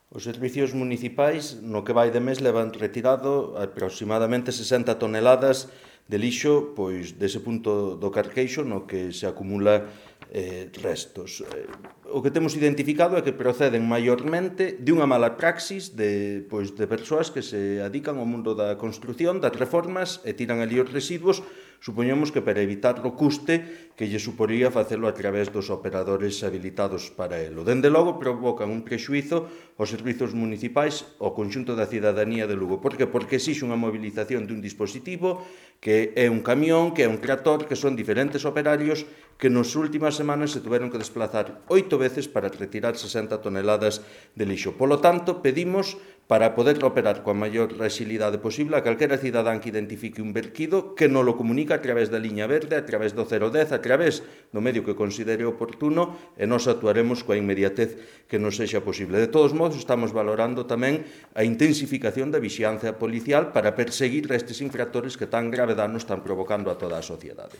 Os servicios municipais no que vai de mes levan retirado aproximadamente 60 toneladas de lixo dese punto do Carqueixo no que se acumula restos. O que temos identificado é que proceden maiormente de unha mala praxis de persoas que se adican ao mundo da construción, das reformas e tiran ali os residuos, supoñemos que para evitar o custe que lle suporía facelo a través dos operadores habilitados para elo. Dende logo provocan un prexuízo aos servizos municipais ao conxunto da cidadanía de Lugo. Por que? Porque exixe unha movilización dun dispositivo que é un camión, que é un tractor, que son diferentes operarios que nas últimas semanas se tuveron que desplazar 8 veces para retirar 60 toneladas de lixo. Polo tanto, pedimos para poder operar coa maior agilidade posible a calquera cidadán que identifique un verquido que nos lo comunique a través da liña verde, a través do 010, a través do medio que considere oportuno e nos actuaremos coa inmediatez que nos sexa posible. De todos modos, estamos valorando tamén a intensificación da vixiancia policial para perseguir estes infractores que tan grave dano están provocando a toda a sociedade.